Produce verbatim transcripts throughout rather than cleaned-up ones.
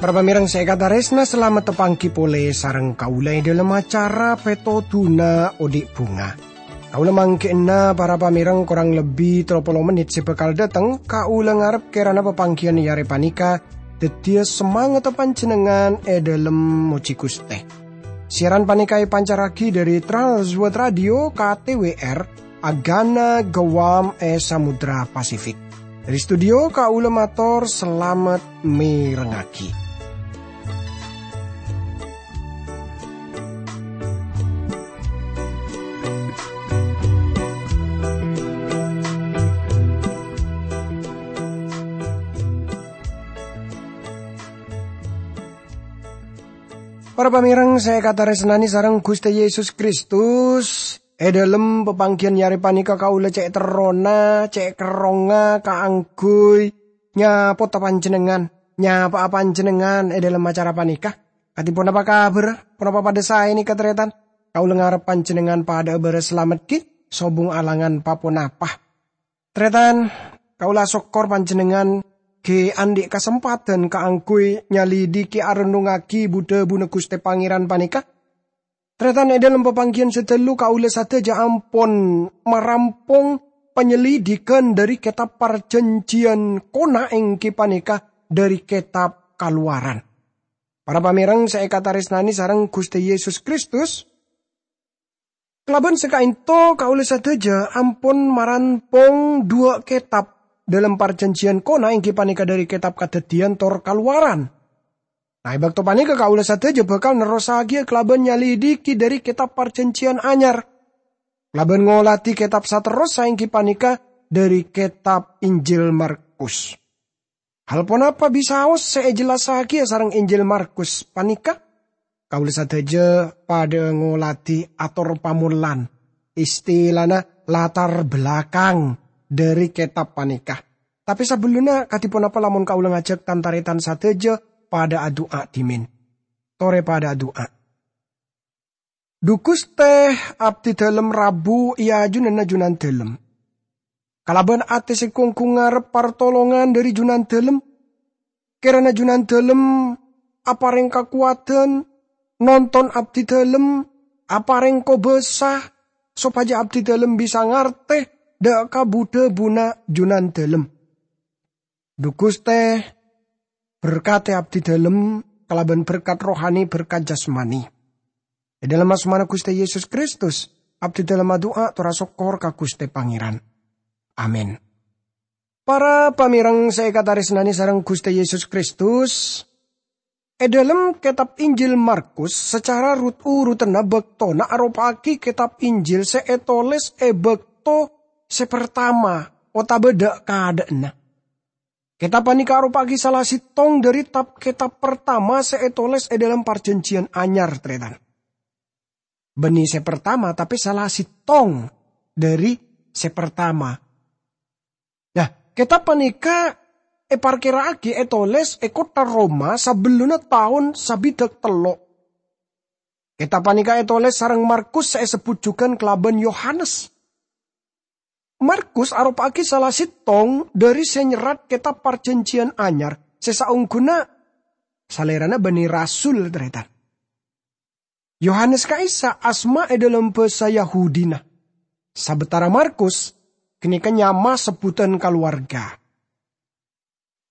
Para pamèreng sè èkatarèsna, salamet tapangghi polè sareng kaulâ è dhâlem acara Pètodhuna Odi' Bhunga. Kaulâ mangghi'na para pamèreng korang lebbi tello polo mennit sè bhâkal dâteng, kaulâ ngarep kèrana papangghiyân è arè panèka dhâddhiyâ samangatta panjhennengngan è dhâlem mojhi Ghustè. Siaran panèka èpancarraghi dhâri Trans World Radio K T W R, Agana Guam è Samudra Pasifik. Dhâri studio kaulâ mator salamet mèrengngaghi. Para pamèreng sè èkatarèsnanè sareng Ghustè Yesus Kristus, è dhâlem papangghiyân è arè panèka kaulâ cè' terrona, cè' kerrongnga kaangghuy nyapota panjhennengngan, nyapa'a panjhennengngan è dhâlem acara panèka. Kadhi ponapa kabhârrâ? Ponapa padhâ saè nèka, tarètan? Kaulâ ngarep panjhennengngan padhâ'â bârâs salamet ghi, sobung alangan pa-ponapa. Tarètan, kaulâ asokkor panjhennengngan ghi' andhi' kasempadhân kaangghuy nyalidiki arennungngaghi bu-dhâbuna Ghustè Pangèran panèka. Tarètan, è dhâlem papangghiyân sè ghâllu kaulâ sadhâjâ ampon marampong panyelidikan dhâri Kètab Parjhânjhiyân Kona, èngghi panèka dhâri Kètab Kalowaran. Para pamèreng sè èkatarèsnanè sareng Ghustè Yesus Kristus, kalabân sè ka'ènto kaulâ sadhâjâ ampon marampong dhuwâ' kètab dhâlem Parjhânjhiyân Kona, èngghi panèka dhâri Kètab Kadhâddhiyân tor Kalowaran. Nah, è bâkto panèka kaulâ sadhâjâ bhâkal nerrossaghiyâ kalabân nyalidiki dhâri Kètab Parjhânjhiyân Anyar, kalabân ngolatè kètab saterrossa, èngghi panèka dhâri Kètab Injil Markus. Hal ponapa bisaos sè èjellassaghiyâ sareng Injil Markus panèka? Kaulâ sadhâjâ padhâ ngolatè ator pamollan, istilana latar belakang dhâri kètab panèka. Tapè sabellunna, kadhi ponapa lamon kaulâ ngajhâk tan-tarètan sadhâjâ padhâ adu'a dhimèn? Torè padhâ adu'a. Dhu Ghustè, abdhidhâlem rabu è ajunanna Junandhâlem. Kalabân atè sè ghungghung ngarep partolongan dhâri Junandhâlem. Kèrana Junandhâlem aparèng kakowadhân, nonton abdhidhâlem, aparèng kobâsa, sopajâ abdhidhâlem bisa ngartè dhâ' ka bu-dhâbuna Junandhâlem. Dhu Ghustè, berkatè abdhidhâlem kalabân berkat rohani, berkat jasmani. È dhâlem asmana Ghustè Yesus Kristus, abdhidhâlem adu'a tor asokkor ka Ghustè Pangèran. Amin. Para pamèreng sè èkatarèsnanè sareng Ghustè Yesus Kristus, è dhâlem kètab Injil Markus, sacara rut-urutanna bâktona aropa'aghi kètab Injil sè ètolès è bâkto sè partama otabâ dhâ'-kadhâ'ânna. Kètab panèka aropa'aghi sala sèttong dhâri tab-kètab partama sè ètolès è dhâlem Parjhânjhiyân Anyar, tarètan. Bânnè sè partama, tapè sala sèttong dhâri sè partama. Nah, kètab panèka èparkèra'aghi ètolès è kottha Roma sabellunna taon sabidhâk tello'. Kètab panèka ètolès sareng Markus sè èsebbhut jhughân kalabân Yohanes. Markus aropa'aghi sala sèttong dhâri sè nyerrat kètab Parjhânjhiyân Anyar sè saongghuna salèrana bânnè rasul, tarètan. Yohanes ka'issa' asma è dhâlem bhâsa Yahudina. Sabâtara Markus ghânèka nyama sebbhudhân kalowarga.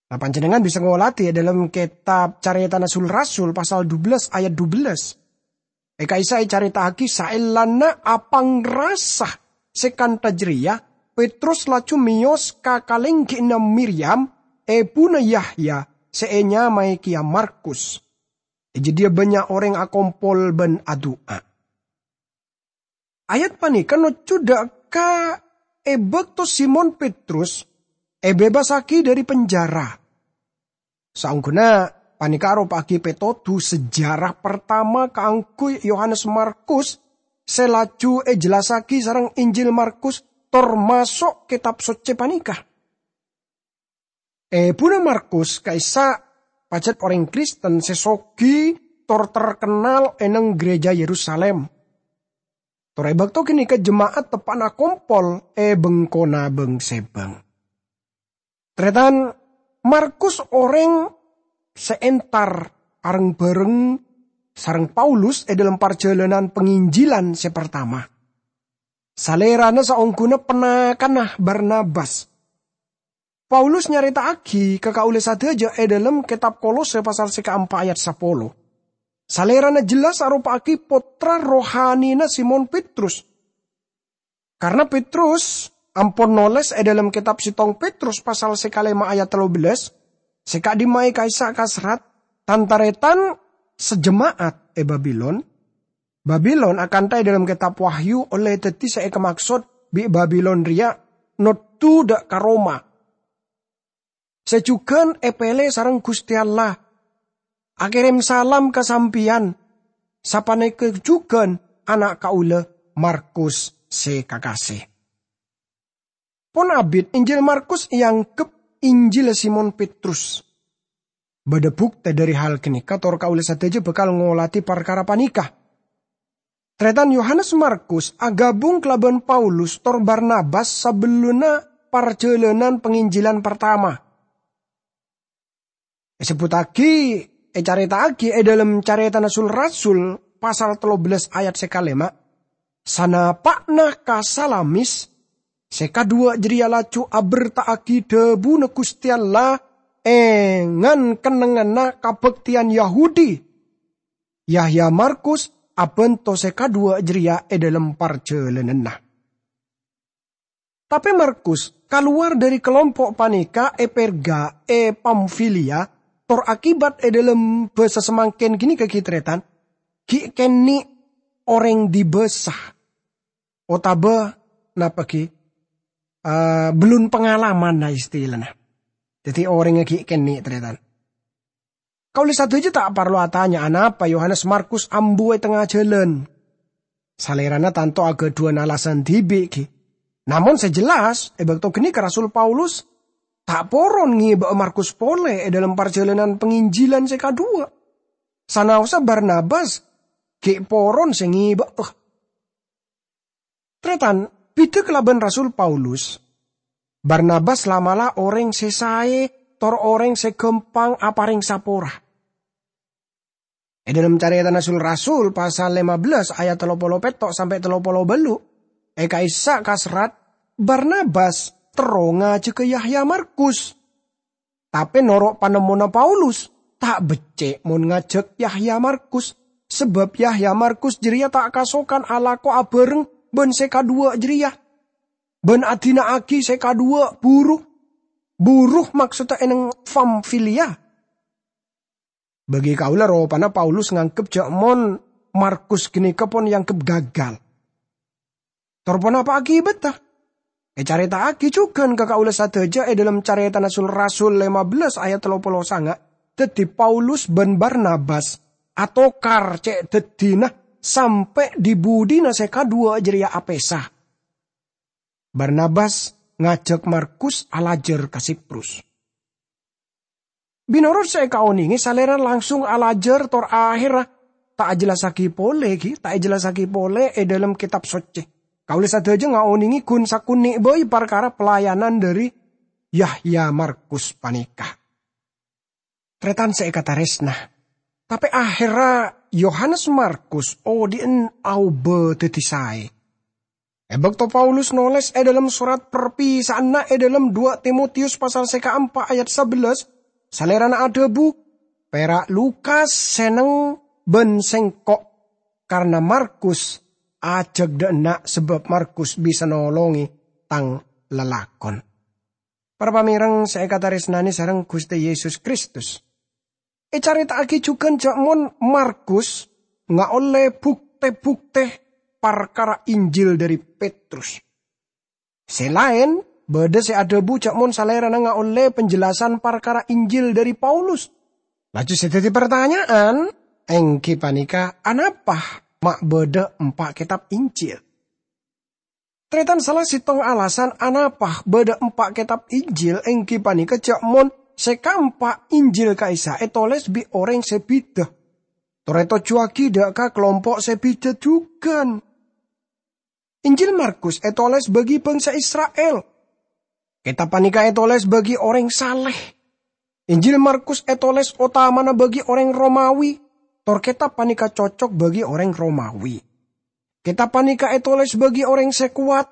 Nah, panjhennengngan bisa ngolatè è dhâlem kètab Carètana Sul-Rasul pasal dubellâs ayat dubellâs. È ka'issa' ècarèta'aghi saellana apangrasa sè kantha jârèya, Petrus laju mèyos ka kalèngghina Miryam, èbhuna Yahya, sè ènyamaè kèya Markus. È jâdiyâ bânnya' orèng akompol bân adu'a. Ayat panèka nojjhu dhâ' ka è bâkto Simon Petrus èbebasaghi dhâri penjara. Saongghuna panèka aropa'aghi pètodhu sejarah partama kaangghuy Yohanes Markus sè laju èjellassaghi sareng Injil Markus, tor maso' Kètab Soccè panèka. Èbhuna Markus ka'issa' pajhât orèng Kristen sè soghi tor terkennal è neng gereja Yerusalem. Tor è bâkto ghânèka jema'at teppa'na kompol è bengkona bâng-sèbâng. Tarètan, Markus orèng sè entar areng-bhâreng sareng Paulus è dhâlem parjhâlânan panginjilan sè partama. Salèrana saongghuna ponakanna Barnabas. Paulus nyarèta'aghi ka kaulâ sadhâjâ è dhâlem kètab Kolose pasal sè kaempa' ayat sapolo. Salèrana jelas aropa'aghi pottra rohanina Simon Petrus. Karna Petrus ampon nolès è dhâlem kètab settong Petrus pasal sè kalèma ayat tello bellâs, sè ka'dimma'a ka'issa' kaserrat, "Tan-tarètan sajema'at è Babilon." Babilon akantha è dhâlem kètab Wahyu ollè dhâddhi sè èkamaksod bi' Babilon rèya noddhu dâ' ka Roma. Sè jhughân èpèlè sareng Ghustè Allah, akèrèm salam ka sampèyan, sapanèka jhughân ana' kaulâ Markus sè kakasè. Pon abit Injil Markus èangghep Injilla Simon Petrus. Bâdâ buktè dhâri hal ghânèka, tor kaulâ sadhâjâ bhâkal ngolatè parkara panèka. Tarètan, Yohanes Markus aghâbung kalabân Paulus tor Barnabas sabellunna parjhâlânan panginjilan partama. Èsebbhuttaghi, ècarèta'aghi è dhâlem Carètana Sul-Rasul pasal tello bellâs ayat sè kalèma, "Sanapa'na ka Salamis, sè kadhuwâ' jârèya laju abherta'aghi dhâbuna Ghustè Allah è ngan-kennengnganna kabhâktèyan Yahudi. Yahya Markus abhânto sè kadhuwâ' jârèya è dhâlem parjhâlânanna." Tapè Markus kalowar dhâri kalompo' panèka è Perga è Pamfilia, tor akibat è dhâlem bhâsa samangkèn ghânèka ghi' tarètan, ghi' kènè' orèng dibâsa. Otabâ napa ghi? Eh, bellun pangalamanna istilana. Dhâddhi orèngnga ghi' kènè' tarètan. Kaulâ sadhâjâ ta' parlo atanya anapa Yohanes Markus ambu è tengnga jhâlân. Salèrana tanto aghâdhuwân alasan dhibi', ghi. Namong sè jelas, è bâkto ghânèka Rasul Paulus ta' poron ngèbâ'â Markus polè è dhâlem parjhâlânan panginjilan sè kadhuwâ'. Sanaossa Barnabas ghi' poron sè ngèbâ'â. Tarètan, bhidhâ kalabân Rasul Paulus, Barnabas la'-mala' orèng sè saè tor orèng sè ghâmpang aparèng sapora. È dhâlem Carètana Sul-Rasul pasal lèma bellâs ayat tello polo pètto' sampè' tello polo bâllu', è ka'issa' kaserrat, Barnabas terro ngajhâghâ Yahya Markus. Tapè noro' panemmona Paulus, ta' beccè' mon ngajhâk Yahya Markus, sabâb Yahya Markus jârèya ta' kasokan alako abhâreng bân sè kadhuwâ' jârèya, bân adina'aghi sè kadhuwâ' buru. Buru maksodda è neng Pamfilia. Bagi kaulâ, ropana Paulus nganggep jhâ' mon Markus ghânèka pon èanggep gagal. Tor ponapa akibatta? Ècarèta'aghi jhughân ka kaulâ sadhâjâ è dhâlem Carètana Sul-Rasul lèma bellâs ayat tello polo sanga', dhâddhi Paulus bân Barnabas atokar cè' dhâddhina sampè' dhi-budhina sè kadhuwâ' jârèya apèsa. Barnabas ngajhâk Markus alajhâr ka Siprus. Mènorot sè èkaonèngè, Salèrana langsung alajhâr tor ahèrra ta' ajhellassaghi polè, ghi, ta' èjhellassaghi polè è dhâlem Kètab Soccè. Kaulâ sadhâjâ ngaonèngè ghun sakonè' bhâi parkara pelayanan dhâri Yahya Markus panèka. Tarètan sè èkatarèsna, tapè ahèrra Yohanes Markus odi'ân aobâ dhâddhi saè. È bâkto Paulus nolès è dhâlem sorat parpisa'anna è dhâlem dua Timotius pasal sè kaempa' ayat sabellâs, Salèrana adhâbu, "Pèra' Lukas sè neng bân sèngko', karna Markus ajhâk dâ' enna' sabâb Markus bisa nolongè tang lalakon." Para pamèreng sè èkatarèsnanè sareng Ghustè Yesus Kristus. Ècarèta'aghi jhughân jhâ' mon Markus ngaollè bhuktè-bhuktè parkara Injil dhâri Petrus. Sè laèn, bâdâ sè adhâbu jhâ' mon Salèrana ngaollè penjelasan parkara Injil dhâri Paulus. Laju sè dhâddhi partanya'an, èngghi panèka, anapa ma' bâdâ empa' kètab Injil? Tarètan, sala sèttong alasan anapa bâdâ empa' kètab Injil èngghi panèka jhâ' mon sè kaempa' Injil ka'issa' ètolès bi' orèng sè bhidhâ. tor ètojjhuwâghi dâ' ka kalompo' sè bhidhâ jhughân. Injil Markus ètolès bagi bhângsa Isra'il. Kètab panèka ètolès bagi orèng salè. Injil Markus ètolès otamana bagi orèng Romawi, tor kètab panèka cocok bagi orèng Romawi. Kètab panèka ètolès bagi orèng sè kowat.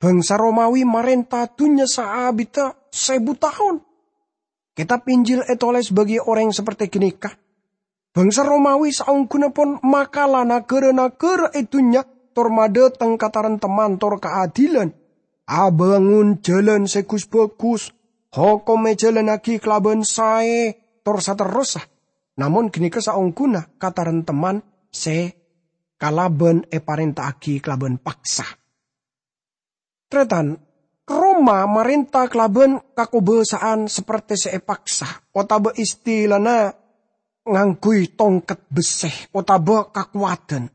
Bhângsa Romawi marènta dhunnya saabidda sèbu taon. Kètab Injil ètolès bagi orèng sapertè ghânèka. Bhângsa Romawi saongghuna pon makala naghârâ-naghârâ è dhunnya tor madhâteng kataremteman tor kaadilan. Abângon jhâlân sè gus-bhâgus, hokom èjhâlânnaghi kalabân saè, tor saterrossa. Namong ghânèka saongghuna kataremteman sè kalabân èparènta'aghi kalabân paksa. Tarètan, Roma marènta kalabân kakobâsa'an sapertè sè èpaksa, otabâ istilana ngangghuy tongket bessè otabâ kakowadhân.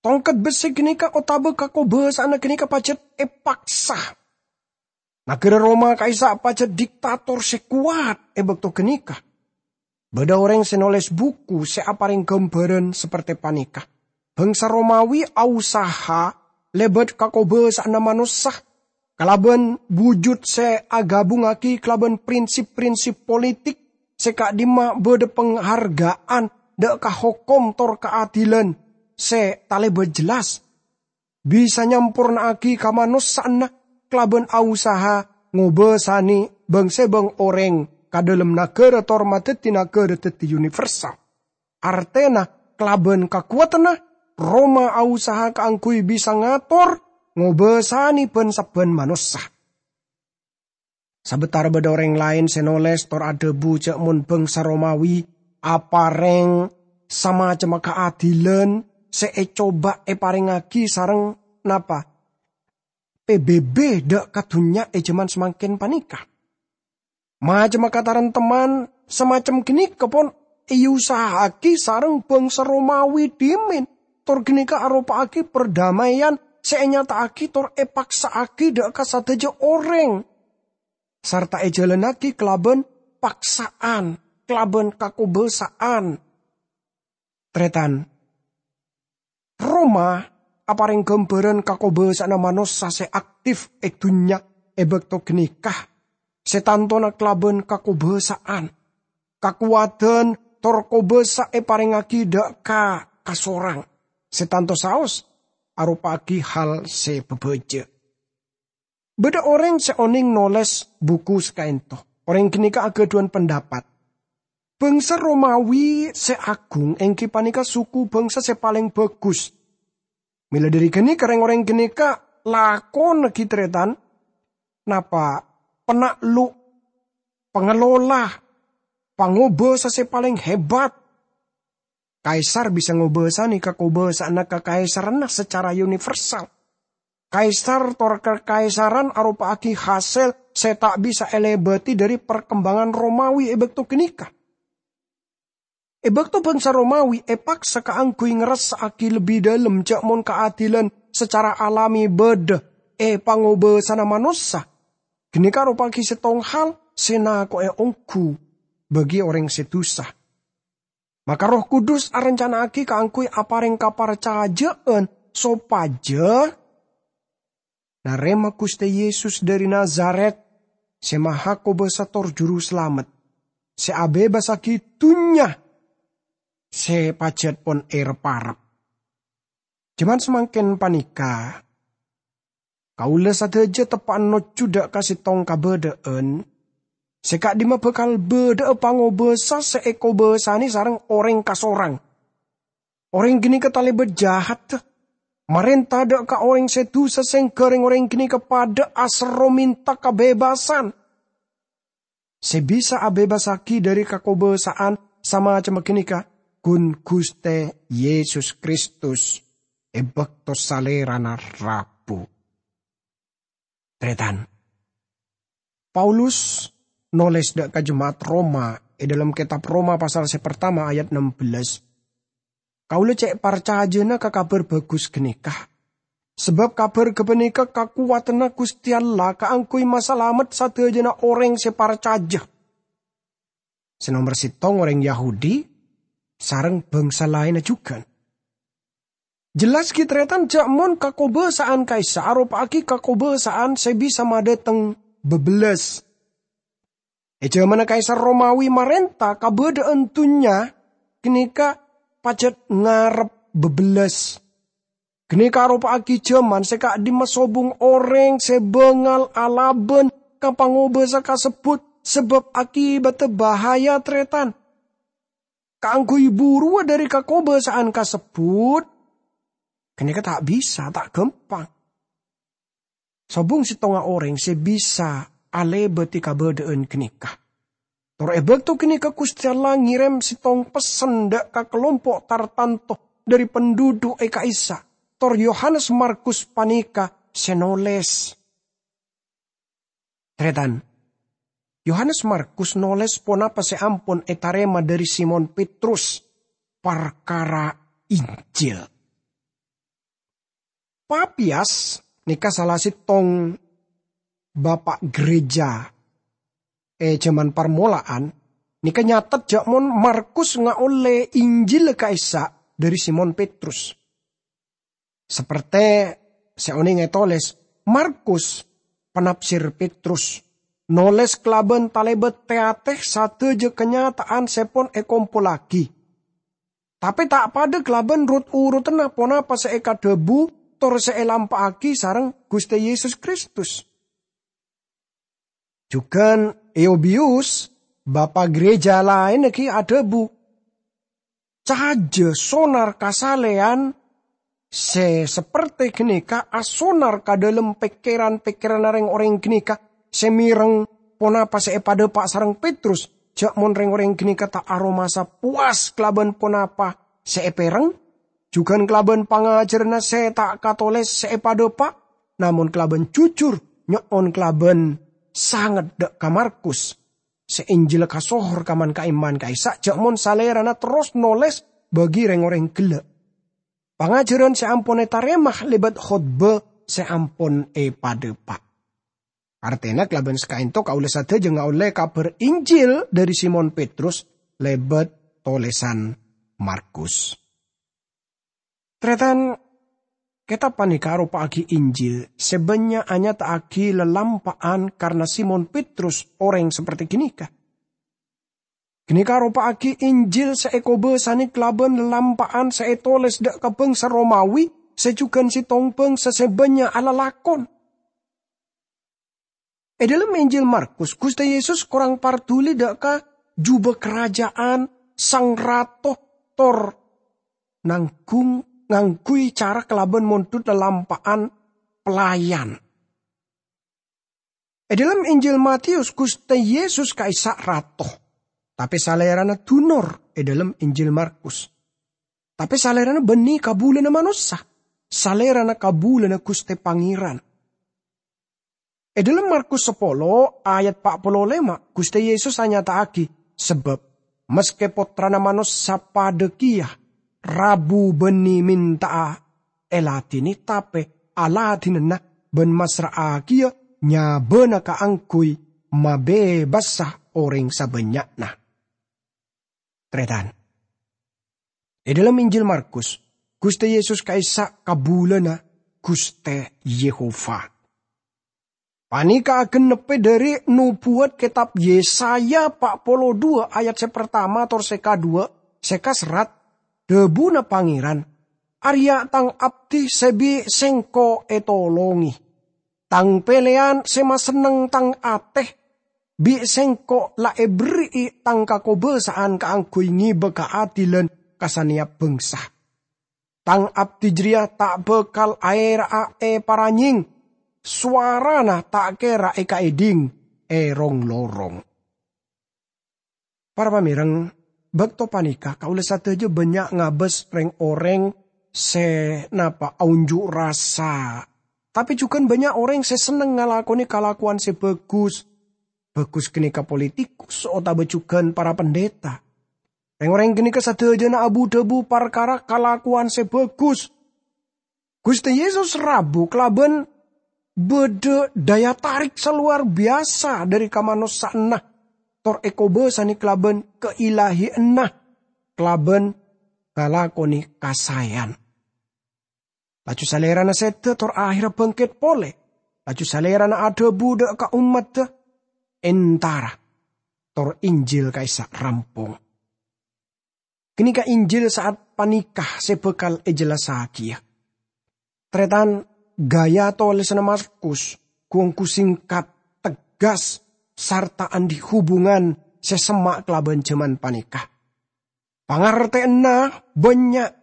Tongket bessè ghânèka otabâ kakobâsa'anna ghânèka pajhât èpaksa. Naghârâ Roma ka'issa' pajhât diktator sè kowat è bâkto ghânèka. Bâdâ orèng sè nolès buku sè aparèng ghâmbhârân sapertè panèka. Bhângsa Romawi ausaha lèbât kakobâsa'anna manossa, kalabân bujut sè aghâbungngaghi kalabân prinsip-prinsip politik sè ka'dimma bâdâ pangharghâ'ân dâ' ka hokom tor kaadilan sè talèbât jelas. Bisa nyamporna'aghi kamanossa'anna kalabân ausaha ngobâsanè bâng-sèbâng orèng ka dâlem naghârâ tor madhâddhi naghârâ dhâddhi universal. Artèna, kalabân kakowadhânna, Roma ausaha kaangghuy bisa ngator, ngobâsanè bân-sabbhân manossa. Sabâtara bâdâ orèng laèn sè nolès tor adhâbu jhâ' mon bhângsa Romawi aparèng samacemma kaadilan sè ècoba èparèngngaghi sareng napa? P B B dâ' ka dhunnya è jhâman samangkèn panèka. Macemma kataremteman samacem ghânèka pon èusaha'aghi sareng bhângsa Romawi dhimèn, tor ghânèka aropa'aghi perdamaian sè ènyata'aghi tor èpaksa'aghi dâ' ka sadhâjâ orèng, sarta èjhâlânnaghi kalabân paksa'an, kalabân kakobâsa'an. Tarètan, Roma aparèng ghâmbhârân kakobâsa'anna manossa sè aktif è dhunnya è bâkto ghânèka, sè tantona kalabân kakobâsa'an, kakowadhân, tor kobâsa èparèngngaghi dâ' ka kasorang, sè tanto saos aropa'aghi hal sè bhâbhâjâ. Bâdâ orèng sè onèng nolès buku sakaènto. Orèng ghânèka aghâdhuwân pendapat. Bhângsa Romawi sè agung èngghi panèka suku bhângsa sè palèng bhâgus. Mèla dhâri ghânèka rèng-orèng ghânèka lakona ghi' tarètan, napa, penaklu', pangelola, pangobâsa sè palèng hebat. Kaisar bisa ngobâsanè kakobâsa'anna kakaisarranna sacara universal. Kaisar tor kakaisaran aropa'aghi hasèl sè ta' bisa èlèbâdhi dhâri parkembangan Romawi è bâkto ghânèka. È bâkto bhângsa Romawi èpaksa kaangghuy ngrassa'aghi lebbi dhâlem jhâ' mon kaadilan sacara alami bâdâ è pangobâsana manossa, ghânèka aropa'aghi sèttong hal sè nako'è ongghu bagi orèng sè dusa. Maka Erroh Kudus arancana'aghi kaangghuy aparèng kaparcajâ'ân sopajâ narèma Ghustè Yesus dhâri Nazaret, sè Mahakobâsa tor Jurusalamet, sè abhebasaghi dhunnya sè pajhât pon èrep-arep. Jhâman samangkèn panèka, kaulâ sadhâjâ teppa'an nojjhu dâ' ka sèttong kabâdâ'ân sè ka'dimma bhâkal bâdâ'â pangobâsa sè èkobâsanè sareng orèng kasorang. Orèng ghânèka talèbât jahatta, marènta dâ' ka orèng sè dusa, sèngghâ rèng-orèng ghânèka padâ aserro mènta kabhebhâsan. Sè bisa abhebhâssaghi dhâri kakobâsa'an samacemma ghânèka ghun Ghustè Yesus Kristus è bâkto Salèrana rabu. Tarètan, Paulus nolès dâ' ka jema'at Roma è dhâlem kètab Roma pasal sè partama ayat ennem bellâs, "Kaulâ cè' parcajâna ka Kabhâr Bhâghus ghânèka, sabâb kabhâr ghâpanèka kakowadhânna Ghustè Allah kaangghuy masalamet sadhâjâna orèng sè parcajâ." Sè nomer sèttong orèng Yahudi, sareng bangsa laènna jhughân. Jelas ghi' tarètan ja' mon kakobâsa'an ka'issa' aropa'aghi kakobâsa'an sè bisa madâteng bâbellâs. È jhâmanna Kaisar Romawi marènta, kabâdâ'ân dhunnya ghânèka pajhât ngarep bâbellâs. Ghânèka aropa'aghi jhâman sè ka'dimma sobung orèng sè bângal alabân ka pangobâsa kasebbhut sabâb akibatta bahaya, tarètan. Kaangghuy buruwâ dhâri kakobâsa'an kasebbhut, ghânèka ta' bisa, ta' ghâmpang. Sobung sèttonga orèng sè bisa alèbâdhi kabâdâ'ân ghânèka. Tor è bâkto ghânèka Ghustè Allah ngèrèm sèttong pessen dâ' ka kalompo' tartanto dhâri penduduk è ka'issa', tor Yohanes Markus panèka sè nolès. Tarètan, Yohanes Markus nolès ponapa sè ampon ètarèma dhâri Simon Petrus parkara Injil. Papias nèka sala sèttong bapa' gereja è jhâman parmola'an, nèka nyatet ja' mon Markus ngaollè Injil ka'issa' dhâri Simon Petrus. Sapertè sè onèng ètolès, Markus, panafsir Petrus, nolès kalabân talèbât tè-atè sadhâjâ kanyata'an sè pon èkompollaghi. Tapè ta' padâ kalabân rot-urotanna ponapa sè èkadhâbu tor sè èlampa'aghi sareng Ghustè Yesus Kristus. Jhughân Eubiyus, bapa' gereja laènna ghi' adhâbu, cajâ sonar kasalèyan sè sapertè ghânèka asonar ka dhâlem pèkkèran-pèkkèranna rèng-orèng ghânèka sè mèreng ponapa sè èpadâpa' sareng Petrus, ja' mon rèng-orèng ghânèka ta' aromasa powas kalabân ponapa sè èpèreng, jhughân kalabân pangajhârânna sè ta' katolès sè èpadâpa', namong kalabân jujur nyo'on kalabân sanget dâ' ka Markus, sè Injilla kasohor ka man-ka'imman ka'issa' ja' mon salèrana terros nolès bagi rèng-orèng ghellâ'. Pangajhârân sè ampon ètarèma lèbât khotbah sè ampon èpadâpa'. Artèna kalabân saka'ènto kaulâ sadhâjâ ngaollè kabhâr Injil dhâri Simon Petrus lèbât tolèsan Markus. Tarètan, kètab panèka aropa'aghi Injil sè bânnya' anyata'aghi lalampa'an karna Simon Petrus orèng sapertè ghânèka. Ghânèka aropa'aghi Injil sè èkobâsanè kalabân lalampa'an sè ètolès dâ' ka bângsa Romawi sè jhughân sèttong bângsa sè bânnya' alalakon. È dhâlem Injil Markus, Ghustè Yesus korang parduli dâ' ka jhubâ karaja'an Sang Rato tor nangghung, ngangghuy cara kalabân mondhut lalampa'an pelayan. È dhâlem Injil Mateyus, Ghustè Yesus ka'issa' Rato, tapè Salèrana dunor è dhâlem Injil Markus. Tapè Salèrana bânnè kabulâna manossa, Salèrana kabulâna Ghustè Pangèran. È dhâlem Markus sapolo ayat pa' polo lèma', Ghustè Yesus anyata'aghi, sabâb maskè Pottrana Manossa padâ kèya rabu bânnè mènta'a èladhinè, tapè aladhinana bân massra'aghiyâ nyabâna kaangghuy mabebasa orèng sabânnya'na. Tarètan. È dhâlem Injil Markus, Ghustè Yesus ka'issa' kabulâna Ghustè Yehova. Panèka agennebbhâ dhâri nobuwat kètab Yesaya pa' polo duwâ' ayat sè partama tor sè kadhuwâ' sè kaserrat, dhâbuna Pangèran, "Arèya Tang abdhi sè bi' Sèngko' ètolongè. Tang pèlèyan sè masenneng Tang atè. Bi' Sèngko' la èberri'i Tang kakobâsa'an kaangghuy ngèbâ kaadilan ka sanèyap bângsa. Tang abdhi jârèya ta' bhâkal aèra'a è paranyèng, sowarana ta' kèra èkaèdhing è rong-lorong." Para pamèreng, bâkto panèka kaulâ sadhâjâ bânnya' ngabâs rèng-orèng sè napa aonjhu' rassa, tapè jhughân bânnya' orèng sè senneng ngalakonè kalakowan sè bhâghus, bhâghus ghânèka politikus otabâ jhughân para pandhita. Rèng-orèng ghânèka sadhâjâna abu-dhâbu parkara kalakowan sè bhâghus. Ghustè Yesus rabu kalabân bâdâ daya tarik sè lowar biyasa dhâri kamanossa'anna, tor èkobâsanè kalabân kailahiyanna. kalabân ngalakonè kasaèyan. Laju Salèrana sèdhâ tor aherra bângkèt polè. Laju Salèrana adhâbu dâ' ka ommaddhâ, "Entara," tor Injil ka'issa' rampong. Ghânèka Injil sa'at panèka sè bhâkal èjellassaghiyâ. Tarètan, gaya tolèsanna Markus ghu-ongghu sèngkat, tegghâs, sarta andi' hubungan sè semma' kalabân jhâman panèka. Pangartèyanna bânnya',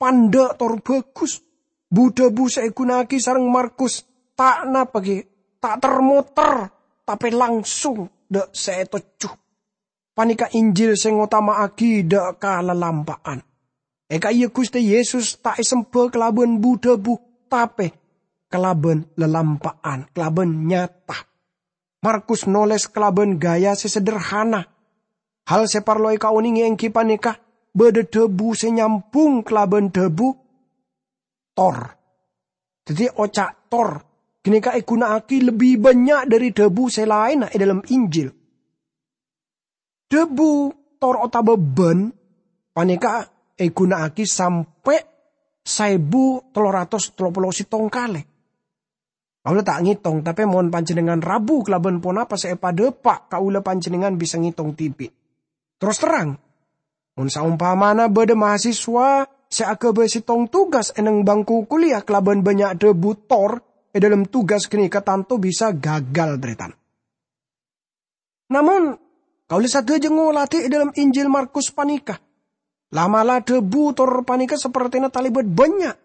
pandâ' tor bhâghus. Bu-dhâbu sè èghuna'aghi sareng Markus ta' napa ghi, ta' ter-moter, tapè langsung dâ' sè ètojjhu. Panèka Injil sè ngotama'aghi dâ' ka lalampa'an. È ka'iyâ Ghustè Yesus ta' èsemba kalabân bu-dhâbu, tapè kalabân lalampa'an, kalabân nyata. Markus nolès kalabân gaya sè sederhana. Hal sè parlo èkaonèngè èngghi panèka bâdâ dhâbu sè nyambhung kalabân dhâbu tor. Dhâddhi, oca' tor ghânèka èghuna'aghi lebbi bânnya' dâri dhâbu sè laènna è dâlem Injil. Dhâbu tor otabâ bân panèka èghuna'aghi sampè' saèbu tello ratos tello polo sèttong kalè. Kaulâ ta' ngètong, tapè mon panjhennengngan rabu kalabân ponapa sè èpadâpa', kaulâ panjhennengngan bisa ngètong dhibi'. Terros terrang, mon saompamana bâdâ mahasiswa sè aghâbây sèttong tugas è neng bangku kuliah kalabân bânnya' dhâbu tor è dâlem tugas ghânèka tanto bisa gagal, tarètan. Namong, kaulâ sadhâjâ ngolatè è dâlem Injil Markus panèka. La'-mala' dhâbu tor panèka sapertèna talèbât bânnya',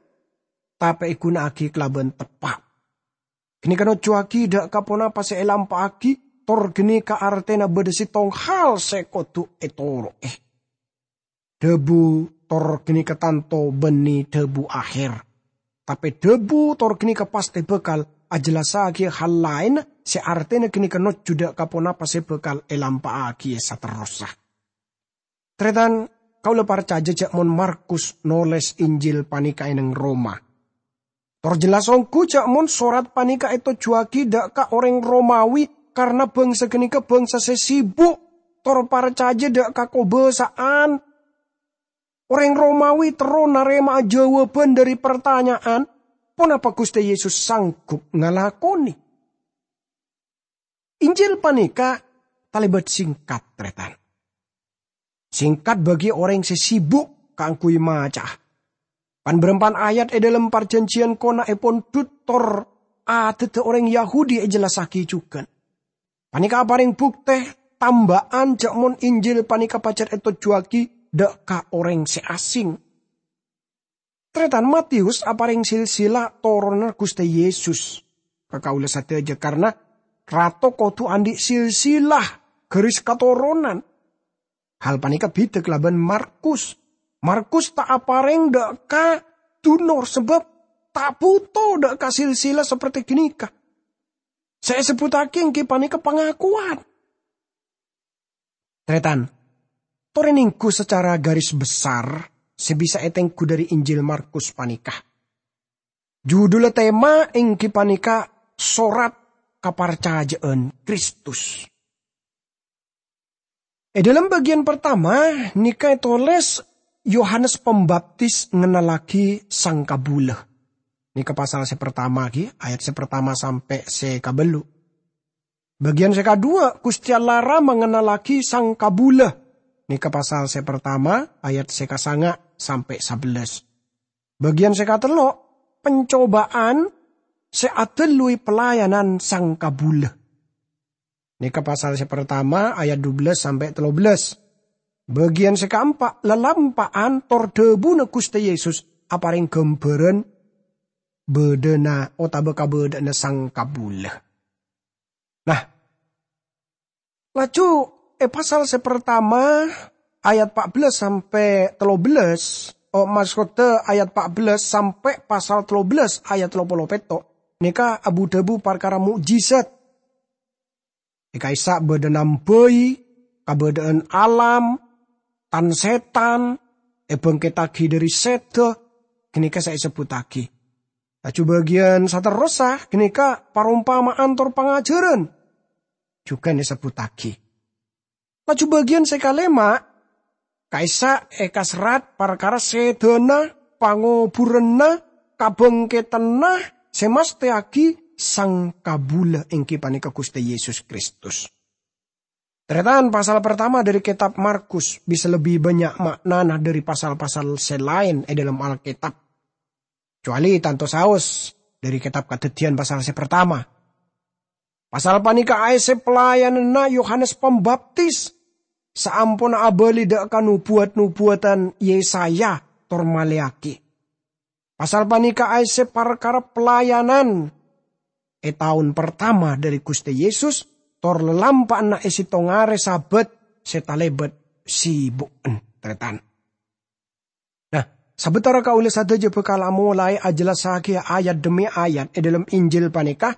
tapè èghuna'aghi kalabân teppa'. Ghânèka nojjhuwaghi dâ' ka ponapa sè èlampa'aghi, tor ghânèka artèna bâdâ sèttong hal sè kodhu ètoro'è. Dhâbu tor ghânèka tanto bânnè dhâbu aher. Tapè dhâbu tor ghânèka pastè bhâkal ajellassaghiyâ hal laèn sè artèna ghânèka nojjhu dâ' ka ponapa sè bhâkal èlampa'aghiyâ saterrossa. Tarètan, kaulâ parcajâ jhâ' mon Markus nolès Injil panèka è neng Roma. Tor jelas ongghu jhâ' mon sorat panèka ètojjhuwaghi dâ' ka orèng Romawi, karna bhângsa ghânèka bhângsa sè sibuk, tor parcajâ dâ' ka kobâsa'an. Orèng Romawi terro narèma'a jâwâbhân dâri partanya'an, "Ponapa Ghustè Yesus sanggup ngalakonè?" Injil panèka talèbât sèngkat, tarètan. Sèngkat bagi orèng sè sibuk kaangghuy maca'a. Pan-bârâmpan ayat è dâlem Parjhânjhiyân Kona'èpon Dhut tor adâddhâ orèng Yahudi èjellassaghi jhughân. Panèka aparèng buktè tamba'an jhâ' mon Injil panèka pajhât ètojjhuwaghi dâ' ka orèng sè asèng. Tarètan, Matius aparèng silsilah toronanna Ghustè Yesus ka kaulâ sadhâjâ, karna rato kodhu andi' silsilah, garis katoronan. Hal panèka bhidhâ kalabân Markus. Markus ta' aparèng dâ' ka dunor sabâb ta' bhuto dâ' ka silsilah saperti ghânèka. Sè èsebbhuttaghi èngghi panèka pangakowan. Tarètan, torè nèngghu sacara garis besar sè bisa ètengghu dâri Injil Markus panèka. Judulla tema èngghi panèka Sorat Kaparcajâ'ân Kristus. È dâlem bâgiyân partama nèka ètolès Yohanes Pambaptis ngennallaghi sang kabulâ. Nèka pasal sè partama ghi, ayat sè partama sampè' sè kabâllu'. Bâgiyân sè kaduwâ', Ghustè Allah Rama ngennallaghi sang kabulâ. Nèka pasal sè partama, ayat sè kasanga' sampè' sabellâs. Bâgiyân sè katello', pancobâ'ân sè adâlluwi pelayanan sang kabulâ. Nèka pasal sè partama, ayat dubellâs sampè' tellobellâs. Bâgiyân sè kaempa', lalampa'an tor dhâbuna Ghustè Yesus aparèng ghâmbhârân bâdâna otabâ kabâdâ'ânna sang kabulâ. Nah, laju è pasal sè partama, ayat pa' bellâs sampè' tellobellâs, oh, maksodda ayat pa' bellâs sampè' pasal tellobellâs ayat tello polo pètto', nèka abu-dhâbu parkara mo'jizat. È ka'issa' bâdâ nambâi, kabâdâ'ân alam, tan-sètan, èbângkèttaghi dâri sèdhâ, ghânèka sè èsebbhuttaghi. Laju bâgiyân saterrossa ghânèka parompama'an tor pangajhârân, jhughân èsebbhuttaghi. Laju bâgiyân sè kalèma', Ka'issa' èkaserrat parkara sèdhâna, pangobhurânna, kabhângkèdhânna sè mastèyaghi Sangkabulâ, èngghi panèka Ghustè Yesus Kristus. Tarètan, pasal partama dhâri kètab Markus bisa lebbi bânnya' ma'nana dhâri pasal-pasal sè laèn è dhâlem Alkètab, kecuali tanto saos dhâri kètab Kadhâddhiyân pasal sè partama. Pasal panèka aèssè pelayananna Yohanes Pambaptis, saamponna abâli dhâ' ka nobuwat-nobuwadhân Yesaya tor Maleakhi. Pasal panèka aèssè parkara pelayanan è taon partama dhâri Ghustè Yesus, tor lalampa'anna è sèttong arè Sabat sè talèbât sibu'en, tarètan. Nah, sabâtara kaulâ sadhâjâ bhâkal amolaè ajhellassaghiyâ ayat dhemmi ayat è dhâlem Injil panèka,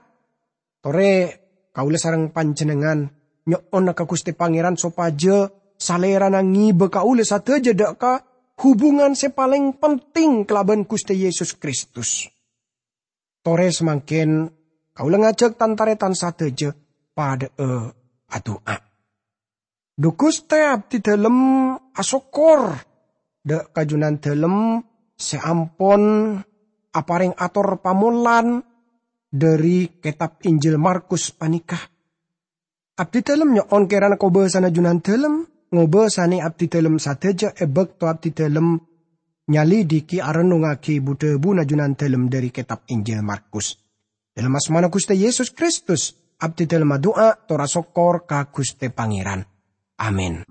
torè kaulâ sareng panjhennengngan nyo'ona ka Ghustè Pangèran sopajâ Salèrana ngibâ kaulâ sadhâjâ dhâ' ka hubungan sè palèng penting kalabân Ghustè Yesus Kristus. Torè samangkèn kaulâ ngajhâk tan-tarètan sadhâjâ padhâ'â adu'a. Dhu Ghustè, abdhi dhâlem asokkor dhâ' ka Jhunandhâlem sè ampon aparèng ator pamolan dhâri kètab Injil Markus panèka. Abdhi dhâlem nyo'on kèrana kobâsana Jhunandhâlem ngobâsanè abdhi dhâlem sadhâjâ è bâkto abdhi dhâlem nyalidiki arennungngaghi bu-dhâbuna Jhunandhâlem dhâri kètab Injil Markus. Dhâlem asmana Ghustè Yesus Kristus, abdhi dhâlem adu'a tor asokkor ka Ghustè Pangèran. Amin.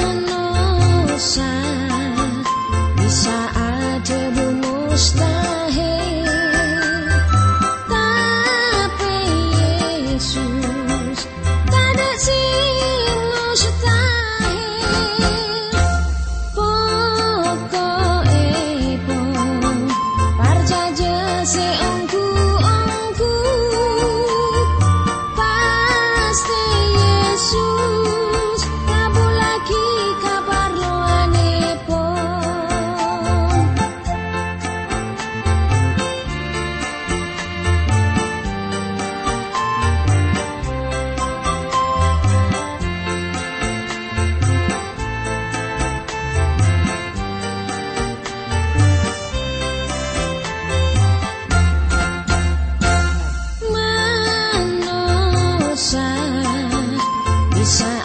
Manossa bisa adhâbu mustahil, tapè Yesus tadâ' sè mustahil. Poko'èpon, parcajâ sè ongghu-ongghu, pastè Yesus ngabhullaghi kaparlowanèpon. Manossa bisa